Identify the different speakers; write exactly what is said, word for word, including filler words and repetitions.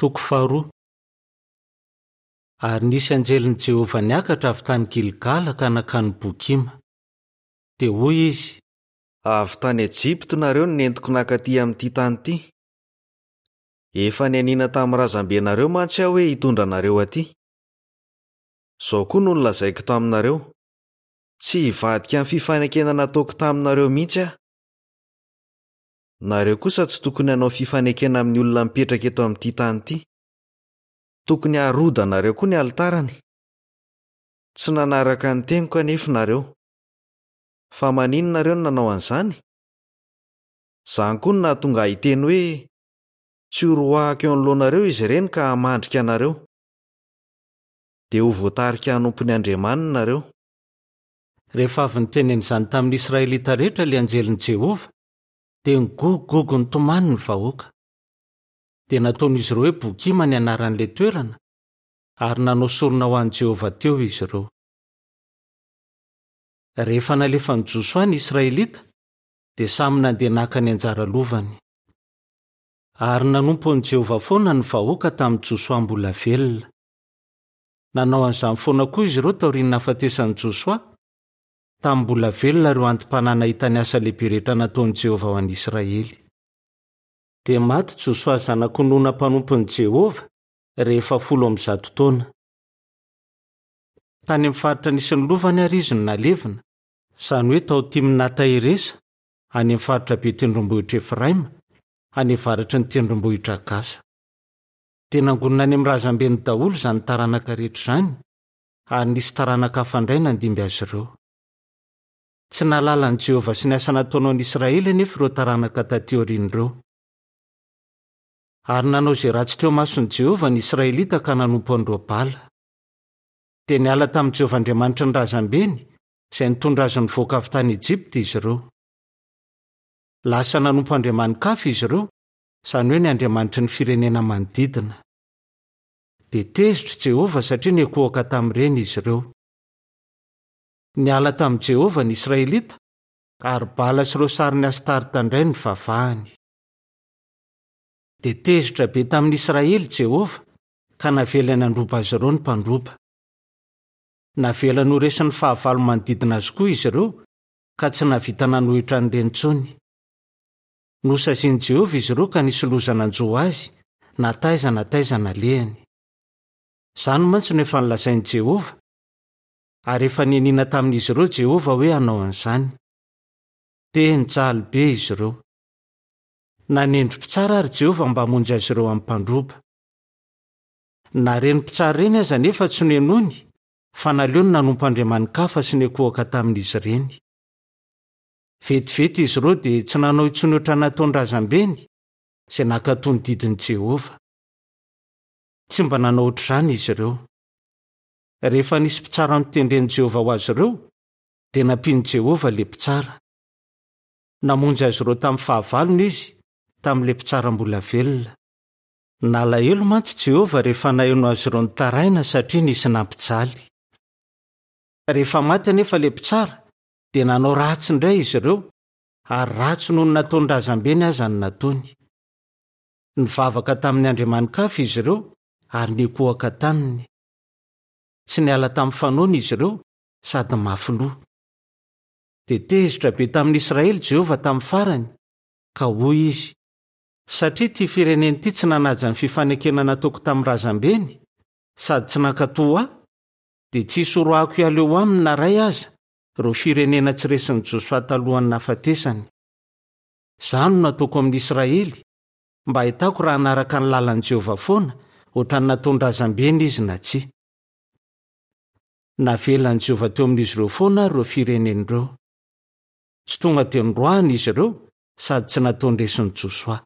Speaker 1: Toko faharoa. Ary nisy anjelin'i Jehovah niakatra avy tany Gilgala ka nankany Bokima. Dia hoy izy:
Speaker 2: Avy tany Ejipta nareo no nentiko nankaty amin'ity tany ity. Efa nianiana tamin'ny razambenareo mantsy aho hoe hitondra anareo aty. Izao koa no nolazaiko taminareo: Tsy hivadika amin'ny fifanekena nataoko taminareo mihitsy aho. Nareo kosa tsy tokony hanao fifanekena amin'ny olona mipetraka eto amin'ity tany ity. Tokony harodanareo koa ny alitarany. Tsy nanaraka ny teniko anefa nareo. Fa maninona nareo no nanao an'izany? Izany koa no nahatonga ahy hiteny hoe tsy horoahako eo anoloanareo izy ireny ka hamandrika anareo. Dia ho voatarika hanompo ny andriamaniny nareo.
Speaker 1: Rehefa avy niteny an'izany tamin'ny Israelita rehetra ilay anjelin'i Jehovah, dia nigogogogo nitomany ny vahoaka. Dia nataon'izy ireo hoe Bokima ny anaran'ilay toerana, ary nanao sorona ho an'i Jehovah teo izy ireo. Rehefa nalefan'i Josoa ny Israelita, dia samy nandeha naka ny anjara lovany. Ary nanompo an'i Jehovah foana ny vahoaka tamin'i Josoa mbola velona. Nanao an'izany foana koa izy ireo taorian'ny nahafatesan'i Josoa, tamin'ny mbola velona ireo anti-panahy nahita ny asa lehibe rehetra nataon'i Jehovah ho an'i Israely. Dia maty Josoa zanak'i Nona mpanompon'i Jehovah rehefa folo amby zato taona. Tany amin'ny faritra nisy ny lovany ary izy no nalevina, izany hoe tao Timnata-Heresa, any amin'ny faritra be tendrombohitra Efraima, any avaratry ny tendrombohitra Gasa. Dia nangonina any amin'ny razambeny daholo izany taranaka rehetra izany, ary nisy taranaka hafa indray nandimby azy ireo. Tsy nahalala an'i Jehovah sy ny asa nataony ho an'i Israely anefa ireo taranaka taty aoriana ireo. Ary nanao izay ratsy teo imason'i Jehovah ny Israelita ka nanompo an'ireo Bala. Dia niala tamin'i Jehovah Andriamanitry ny razambeny, izay nitondra azy nivoaka avy tany Ejipta izy ireo. Lasa nanompo andriamani-kafa izy ireo, izany hoe ny andriamanitry ny firenena manodidina. Dia tezitra i Jehovah satria niankohoka tamin'ireny izy ireo. Niala tamin'i Jehovah ny Israelita, ary Bala sy ireo sarin'i Astarta indray nivavahany. Dia tezitra be tamin'ny Israely Jehovah, ka navelany handroba azy ireo ny mpandroba. Navelany ho resin'ny fahavalo manodidina azy koa izy ireo, ka tsy nahavita nanohitra an'ireny intsony. Nosazian'i Jehovah izy ireo ka nisy loza nanjo azy, na taiza na taiza nalehany. Izany mantsy no efa nolazain'i Jehovah, ary efa nianiana tamin'izy ireo Jehovah hoe hanao an'izany. Dia nijaly be izy ireo. Nanendry mpitsara ary Jehovah mba hamonjy azy ireo amin'ny mpandroba. Na ireny mpitsara ireny aza anefa tsy nohenoiny, fa naleony nanompo andriamani-kafa sy niankohoka tamin'izy ireny. Vetivety izy ireo dia tsy nanao intsony ohatran'ny nataon'ny razambeny, izay nankatò ny didin'i Jehovah. Tsy mba nanao ohatr'izany izy ireo. Rehefa nisy mpitsara notendren'i Jehovah ho azy ireo, dia nampian'i Jehovah ilay mpitsara. Namonjy azy ireo tamin'ny fahavalony izy, tamin'ilay mpitsara mbola velona. Nalahelo mantsy Jehovah rehefa naheno azy ireo nitaraina satria nisy nampijaly. Rehefa maty anefa ilay mpitsara, dia nanao ratsy indray izy ireo, ary ratsy noho ny nataon'ny razambeny aza no nataony. Nivavaka tamin'ny andriamani-kafa izy ireo ary niankohoka taminy. Tsy niala tamin'ny fanaony izy ireo sady mafy loha. Dia tezitra be tamin'ny Israely Jehovah tamin'ny farany, ka hoy izy: Satria ity firenena ity tsy nanaja ny fifanekena nataoko tamin'ny razambeny, sady tsy nankatò ahy, dia tsy hisy horoahako hiala eo aminy na iray aza ireo firenena tsy resin'i Josoa talohan'ny nahafatesany. Izany no nataoko amin'ny Israely, mba hahitako raha hanaraka ny lalan'i Jehovah foana ohatran'ny nataon-drazambeny izy na tsia. Navelan'i Jehovah teo amin'izy ireo foana ary ireo firenena ireo. Tsy tonga dia noroahiny izy ireo sady tsy nataony resin'i Josoa.